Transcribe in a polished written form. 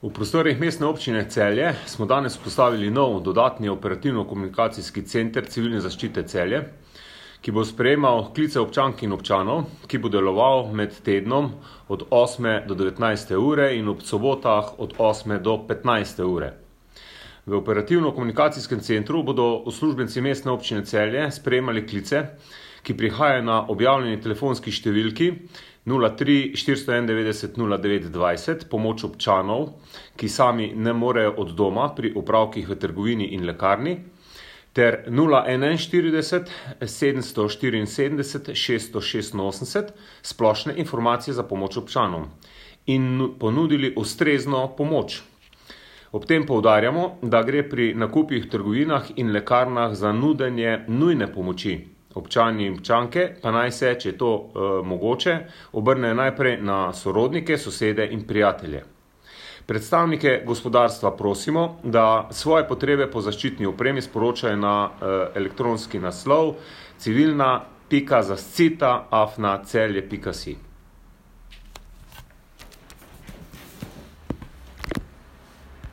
V prostorih Mestne občine Celje smo danes postavili nov dodatni operativno-komunikacijski center civilne zaščite Celje, ki bo sprejemal klice občank in občanov, ki bo deloval med tednom od 8. do 19. ure in ob sobotah od 8. do 15. ure. V operativno-komunikacijskem centru bodo uslužbenci Mestne občine Celje sprejemali klice, ki prihajajo na objavljeni telefonski številki 03 491 09 20, pomoč občanov, ki sami ne morejo od doma pri opravkih v trgovini in lekarni, ter 041 774 686 splošne informacije za pomoč občanom in ponudili ustrezno pomoč. Ob tem poudarjamo, da gre pri nakupih v trgovinah in lekarnah za nudenje nujne pomoči. Občani in občanke pa naj se, če je to mogoče, obrnejo najprej na sorodnike, sosede in prijatelje. Predstavnike gospodarstva prosimo, da svoje potrebe po zaščitni opremi sporočajo na elektronski naslov civilna.zašcita@celje.si.